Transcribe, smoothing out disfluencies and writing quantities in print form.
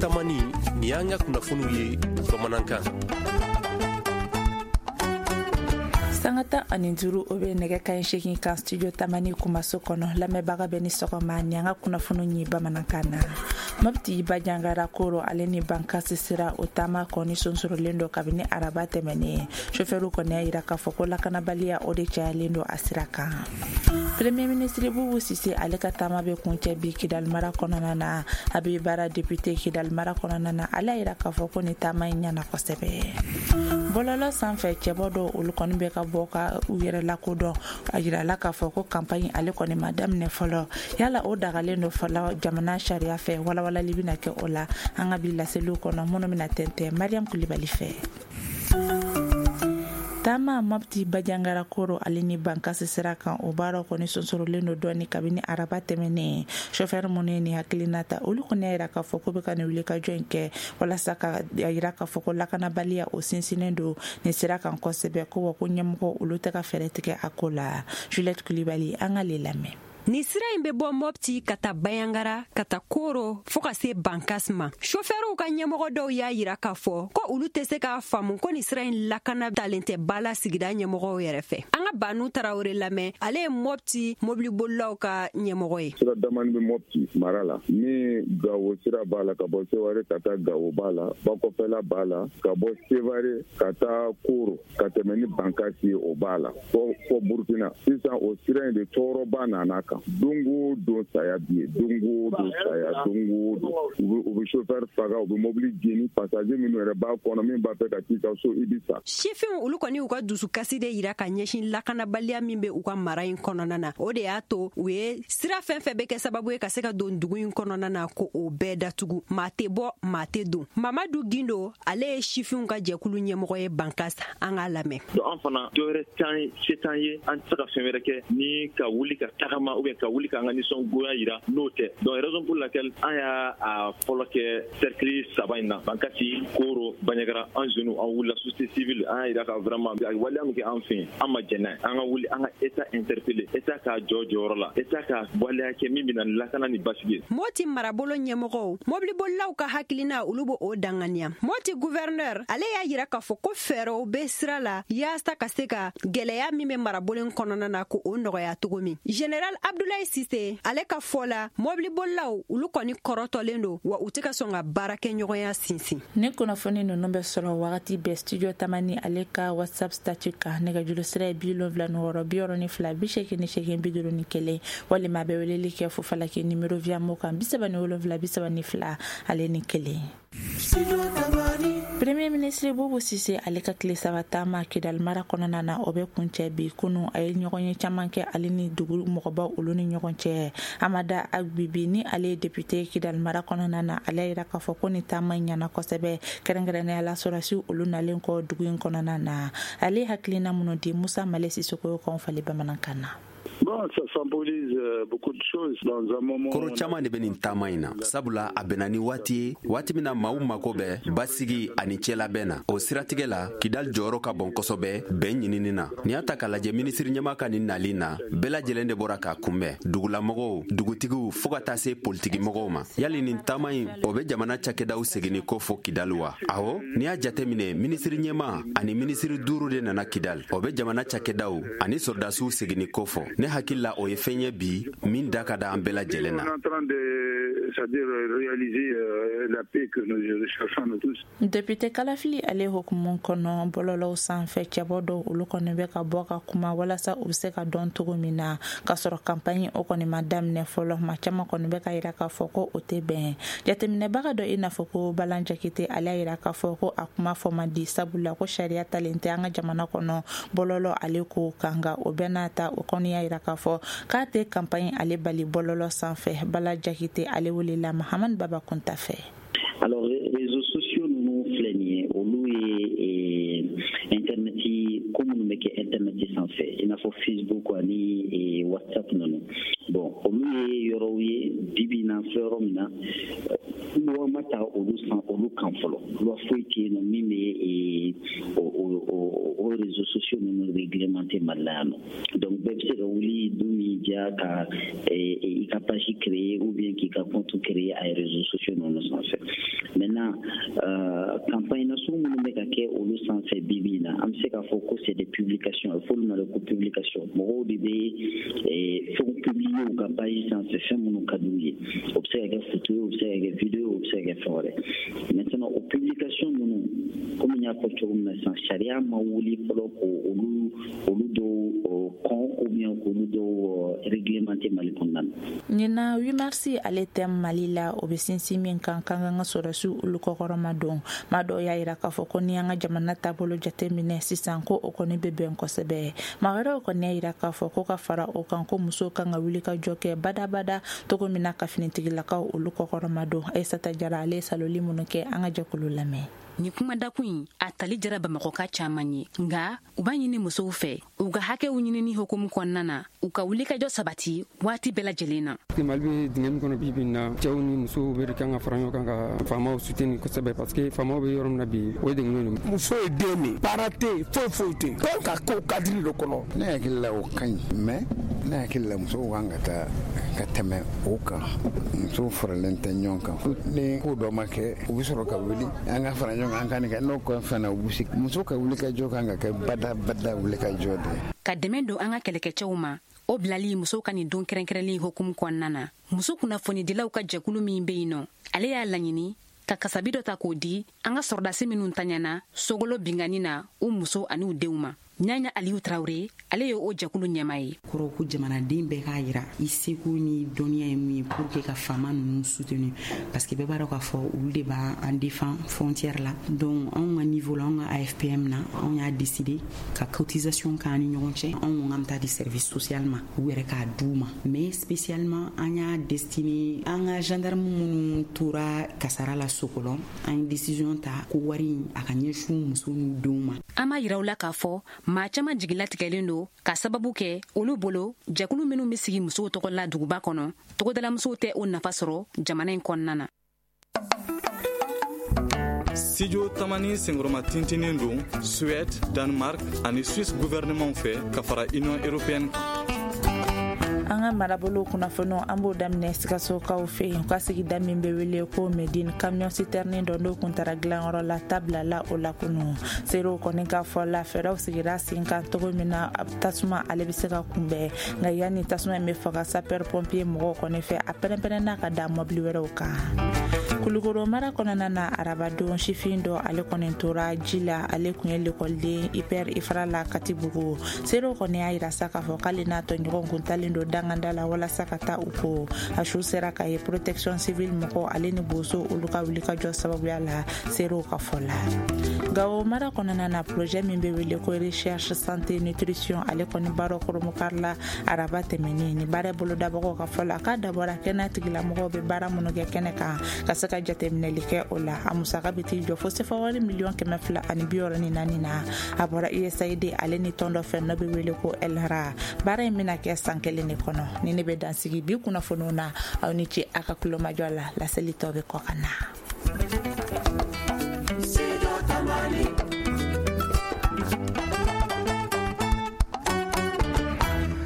Tamani, nin y'an ka kunnafoniw ye bamanankan. Sanga 15, o bɛ nɛgɛ kanɲɛ 8 kan Studio Tamani kumaso kɔnɔ. Lamɛnbaga bɛ ni sɔgɔma. Ni an ka kunnafoniw ye bamanankan na. Mɔpti, Banjagara, Koro ale ni Bankasi sira, o taama kɔni sonsorolen don kabini araba tɛmɛnen. Sofɛriw kɔni y'a yira k'a fɔ ko lakanabaliya, o de cayalen don a sira kan. Premier ministre Bubu Sise, ale ka taama bɛ kuncɛ bi Kidali mara kɔnɔna na. A bɛ baara député Kidali mara kɔnɔna na, ale y'a yira k'a fɔ ko nin taama in ɲɛna kosɛbɛ. Bɔlɔlɔ sanfɛ, cɛbɔ dɔw, olu kɔni bɛ ka bɔ ka u yɛrɛ lakodɔn. A yirala k'a fɔ ko campagne ale kɔni ma daminɛ fɔlɔ. Yala o dagalen don fɔlɔ jamana sariya fɛ? Walawalali bɛna kɛ o la an ka bi laseliw kɔnɔ, minnu bɛna tɛntɛn Mariam Kulibali fɛ. Taama Mɔpti, Banjagara, Koro ale ni Bankasi sira kan, o baaraw kɔni sonsorolen don dɔɔni kabini araba tɛmɛnen. Sofɛri minnu ye nin hakilina ta, olu kɔni y'a yira k'a fɔ ko bɛ ka nin wulikajɔ in kɛ walasa ka a yira k'a fɔ ko lakanabaliya, o sinsinnen don nin sira kan kosɛbɛ, ko wa ko ɲɛmɔgɔ, olu tɛ ka fɛɛrɛ tigɛ a ko la. Juliette Kulibali, an k'ale lamɛn. Nin sira in bɛ bɔ Mɔpti ka taa Bayangara, ka taa Koro, fɔɔ ka se Bankas ma. Sofɛriw ka ɲɛmɔgɔ dɔw y'a yira k'a fɔ ko olu tɛ se k'a faamu ko nin sira in lakana talen tɛ ba la sigida ɲɛmɔgɔw yɛrɛ fɛ. An ka Banu Tarawele lamɛn, ale ye Mɔpti mobilibolilaw ka ɲɛmɔgɔ ye. Sira damani bɛ Mɔpti mara la ni Gawo sira b'a la, ka bɔ Seware ka taa Gawo b'a la, Bakɔfɛla b'a la, ka bɔ Sevare ka taa Koro, ka tɛmɛ ni Bankasi ye, o b'a la fɔ Burukina. Sisan, o sira in de tɔɔrɔba nana kan. Don o don, saya bi yen, don o don, saya, don o don. U bɛ chauffeur faga, u bɛ mobili jeni, passager minnu yɛrɛ b'a kɔnɔ, min b'a fɛ ka t'i ka so, i bɛ sa. Sifinw, olu kɔni y'u ka dusukasi de yira ka ɲɛsin lakanabaliya min bɛ u ka mara in kɔnɔna na. O de y'a to u ye sira fɛn fɛn bɛ kɛ sababu ye ka se ka don dugu in kɔnɔna na, ko o bɛɛ datugu. Maa tɛ bɔ, maa tɛ don. Mamadu Gindo, ale ye sifinw ka jɛkulu ɲɛmɔgɔ ye Bankas. An k'a lamɛn. Donc an fana, dɔwɛrɛ t'an se t'an ye, an tɛ se ka fɛn wɛrɛ kɛ ni ka wuli ka tagama ou bien ka wuli k'an ka nisɔngoya yira n'o tɛ. Donc raison pour laquelle an y'a a fɔlɔ kɛ cercle saba in na, Bankasi, Koro, Banjagara. An jeunes, an wulila, société civile, an y'a yira ka vraiment a waleya min kɛ an fɛ yen, an ma jɛn n'a ye. An ka wuli, an ka État interpeller, État k'a jɔ jɔyɔrɔ la, État ka waleya kɛ min bɛna lakana ni basigi ye. Moti marabolo ɲɛmɔgɔw, mobilibolilaw ka hakilina, olu b'o o danganiya. Moti gouverneur, ale y'a yira k'a fɔ ko fɛɛrɛw bɛ sira la yaasa ka se ka gwɛlɛya min bɛ marabolo kɔnɔna na, ko o nɔgɔya cogo min. Général Abdulayi Sise, ale ka fɔ la, mobilibolilaw, olu kɔni kɔrɔtɔlen don wa u tɛ ka sɔn ka baara kɛ ɲɔgɔnya sinsin. Ni kunnafoni ninnu bɛ sɔrɔ wagati bɛɛ Studio Tamani ale ka WhatsApp statut kan. Nɛgɛjuru sira ye 76 88 51, walima a bɛ weleli kɛ fufalaki numéro Via Mo kan, 37 32 ale ni 1. Premier ministre Bubu Sise, ale ka tile 3 taama Kidali mara kɔnɔna na, o bɛ kuncɛ bi. Kunu, a ye ɲɔgɔn ye caman kɛ ale ni dugu mɔgɔbaw, olu ni ɲɔgɔn cɛ. Amada Agbibi, ni ale ye député Kidali mara kɔnɔna na, ale y'a yira k'a fɔ ko nin taama in ɲɛna kosɛbɛ, kɛrɛnkɛrɛnnenya la sɔrɔdasiw, olu nalen kɔ dugu in kɔnɔna na. Ale ye hakilina minnu di, Musa Male Sisoko y'o kan fali bamanankan na. Bon, ça symbolise beaucoup de choses dans un moment. Koro caman de bɛ nin taama in na, sabula a bɛnna ni waati ye, waati min na maaw mako bɛ basigi ani cɛlabɛn na. O siratigɛ la, Kidal jɔyɔrɔ ka bon kosɛbɛ bɛn ɲinini na. N'i y'a ta k'a lajɛ, minisiri ɲɛma ka nin nali na, bɛɛ lajɛlen de bɔra k'a kunbɛn, dugulamɔgɔw, dugutigiw, fɔɔ ka taa se politigimɔgɔw ma. Yali nin taama in, o bɛ jamana cakɛdaw seginni ko fɔ Kidal wa? Awɔ, n'i y'a jate minɛ, minisiri ɲɛma ani minisiri duuru de nana Kidal, o bɛ jamana cakɛdaw ani sɔrɔdasiw seginni ko fɔ. Ne hakili la, o ye fɛn ye bi min da ka da an bɛɛ lajɛlen na. On est en train de, c'est-à-dire réaliser la paix que nous cherchons nous tous. Député kalafili ale hukumu kɔnɔ, bɔlɔlɔw sanfɛ, cɛbɔ dɔw, olu kɔni bɛ ka bɔ ka kuma walasa u bɛ se ka dɔn cogo min na, k'a sɔrɔ campagne o kɔni ma daminɛ fɔlɔ. Maa caman kɔni bɛ ka yira k'a fɔ ko o tɛ bɛn. Jateminɛbaga dɔ, i n'a fɔ ko Balan Jakite, ale y'a yira k'a fɔ ko a kuma fɔ man di, sabula ko sariya talen tɛ an ka jamana kɔnɔ bɔlɔlɔ ale ko kan. Nka o bɛɛ n'a ta, o kɔni y'a yira k'a fɔ k'a tɛ campagne ale bali bɔlɔlɔ sanfɛ. Bala Jakite, ale welela Mahamani Baba Kunta fɛ. Alors, réseaux sociaux ninnu filɛ nin ye, olu ye internet ko minnu bɛ kɛ internet sanfɛ, i n'a fɔ Facebook ani WhatsApp ninnu. Bon, olu ye yɔrɔw ye bi bi in na, an filɛ yɔrɔ min na. Loi ma ta olu san olu kan fɔlɔ. Loi foyi tɛ yen nɔ min bɛ o réseaux sociaux ninnu réglementer Mali la yan nɔ. Donc bɛɛ bɛ se ka wuli don min diya ka i ka page créer ou bien k'i ka compte créer a réseaux sociaux ninnu sanfɛ. Maintenant, campagne nasugu minnu bɛ ka kɛ olu sanfɛ bi bi in na, an bɛ se k'a fɔ ko c'est des publications. A bɛ fɔ olu ma de ko publication. Mɔgɔw de bɛ fɛnw publier u ka page sanfɛ, fɛn minnu ka d'u ye. O bɛ se ka kɛ photo ye, o bɛ se ka kɛ vidéo, o bɛ se ka kɛ fɛn wɛrɛ. Maintenant, o publication ninnu, komi n y'a fɔ cogo min na sisan, sariya ma wuli fɔlɔ ko olu dɔw kɔn ou bien k'olu dɔw réglementer Mali kɔnɔna na. Ɲinan 8 mars ale tɛ Mali la, o bɛ sinsin min kan k'an ka sɔrɔdasiw olu kɔkɔrɔma don. Maa dɔw y'a yira k'a fɔ ko ni an ka jamana taabolo jateminɛ sisan, ko o kɔni bɛ bɛn kosɛbɛ. Maa wɛrɛw kɔni y'a yira k'a fɔ ko ka fara o kan, ko musow kan ka wuli ka jɔ kɛ badabada cogo min na ka finitigilakaw olu kɔkɔrɔma don. Aissata Jara ale ye saloli minnu kɛ, an ka jɛkulu lamɛn. Ni kuma dakun in a tali jara Bamakɔka caman ye, nka u b'a ɲini musow fɛ u ka hakɛw ɲinini hukumu kɔnɔna na, u ka wulikajɔ sabati waati bɛɛ lajɛlen na. Mali bɛ dingɛ min kɔnɔ bi bi in na, cɛw ni musow bɛɛ de kan ka fara ɲɔgɔn kan ka faamaw soutenir kosɛbɛ, parce que faamaw bɛ yɔrɔ min na bi, o ye dɛngɛnw de. Muso ye den de, baara tɛ yen, foyi foyi tɛ yen, donc ka ko cadre de kɔnɔ. Ne hakili la, o ka ɲi, mais ne hakili la, musow kan ka taa ka tɛmɛ o kan. Musow faralen tɛ ɲɔgɔn kan. Ni ko dɔ ma kɛ, u bɛ sɔrɔ ka wuli, an ka fara ɲɔgɔn kan, an ka nin kɛ. N'o kɔ fana, u bɛ se muso ka wuli ka jɔ kan ka kɛ bada bada wuli ka jɔ de. Ka dɛmɛ don an ka kɛlɛkɛcɛw ma, o bilali musow ka nin don kɛrɛnkɛrɛnlen hukumu kɔnɔna na, muso kunnafonidilaw ka jɛkulu min bɛ yen nɔ, ale y'a laɲini ka kasabi dɔ ta k'o di an ka sɔrɔdasi minnu taɲana sogolo binkanni na, u muso ani u denw ma. Ɲaɲa Aliyu Tarawure, ale ye o jɛkulu ɲɛma ye. Kɔrɔ ko jamanaden bɛɛ k'a yira i seko ni dɔnniya ye mun ye pour que ka faama ninnu soutenir, parce que bɛɛ b'a dɔn k'a fɔ olu de b'an défend frontière la. Donc anw ka niveau la, anw ka AFPM na, anw y'a décidé ka cotisation k'an ni ɲɔgɔn cɛ. Anw ko k'an bɛ taa di service social ma, u yɛrɛ k'a d'u ma, mais spécialement an y'a destiné an ka gendarme minnu tora kasara la Sokɔlɔ. An ye décision ta ko wari in a ka ɲɛsin muso n'u denw ma. An b'a yira u la k'a fɔ maa caman jigilatigɛlen don ka sababu kɛ olu bolo, jɛkulu minw be sigi musow tɔgɔ la duguba kɔnɔ, togodalamusow tɛ o nafa sɔrɔ jamana in kɔnɔna na. Studio Tamani senkɔrɔma tintinin don Suède, Danemark ani Suisse gouvernement fɛ ka fara Union européenne kan. An ka marabolo kunnafoniw, an b'o daminɛ Sikasokaw fɛ yen. U ka sigida min bɛ wele ko Medine, camion citerne dɔ n'o kun taara dilanyɔrɔ la, tabilala o la kunu. Seerew kɔni ka fɔ la, fɛɛrɛw sigira sen kan cogo min na tasuma ale bɛ se ka kunbɛn, nka yanni tasuma in bɛ faga sapeur pompier mɔgɔw kɔni fɛ, a pɛrɛn-pɛrɛnna ka da mɔbili wɛrɛw kan. Kulukoro mara kɔnɔna na, arabadon, sifin dɔ ale kɔni tora ji la. Ale kun ye lekɔliden IPR Ifra la Katibugu. Seerew kɔni y'a yira sa k'a fɔ k'ale n'a tɔɲɔgɔn kun talen don danganda la walasa ka taa u ko. A su sera ka ye protection civile mɔgɔ ale ni boso olu ka wulikajɔ sababuya la, seerew ka fɔ la. Gawo mara kɔnɔna na, projet min bɛ wele ko recherche santé nutrition, ale kɔni baara koromokari la araba tɛmɛnen. Ni baara bolodabagaw ka fɔ la, k'a dabɔra kɛnɛya tigilamɔgɔw bɛ baara minnu kɛ kɛnɛ kan, ka se ka jateminɛli kɛ o la. A musaka bɛ t'i jɔ fo sefa wari miliyɔn 264 na. A bɔra USAID ale ni tɔn dɔ fɛ n'o bɛ wele ko ELRA. Baara in bɛna kɛ san kelen de kɔnɔ. Ni ne bɛ dansigi bi kunnafoniw na, aw ni ce a ka kulomajɔ la. Laseli tɔ bɛ kɔ ka na.